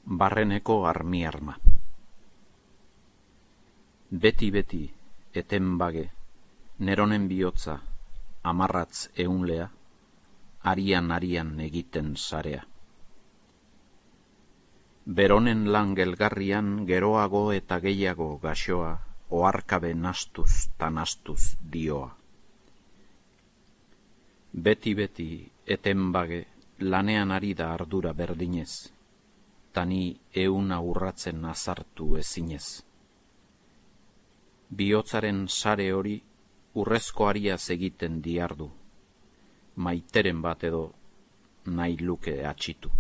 Barreneko armi-arma. Beti, eten bage, neronen bihotza, amarratz eunlea, arian egiten sarea. Beronen lan gelgarrian geroago eta gehiago gaxoa, oarkabe nastuz ta nastuz dioa. Beti, eten bage, lanean ari da ardura berdinez, tani euna urratzen azartu ezinez. Bihotzaren sare hori urrezko ariaz egiten diardu, maiteren bat edo nahi luke atxitu.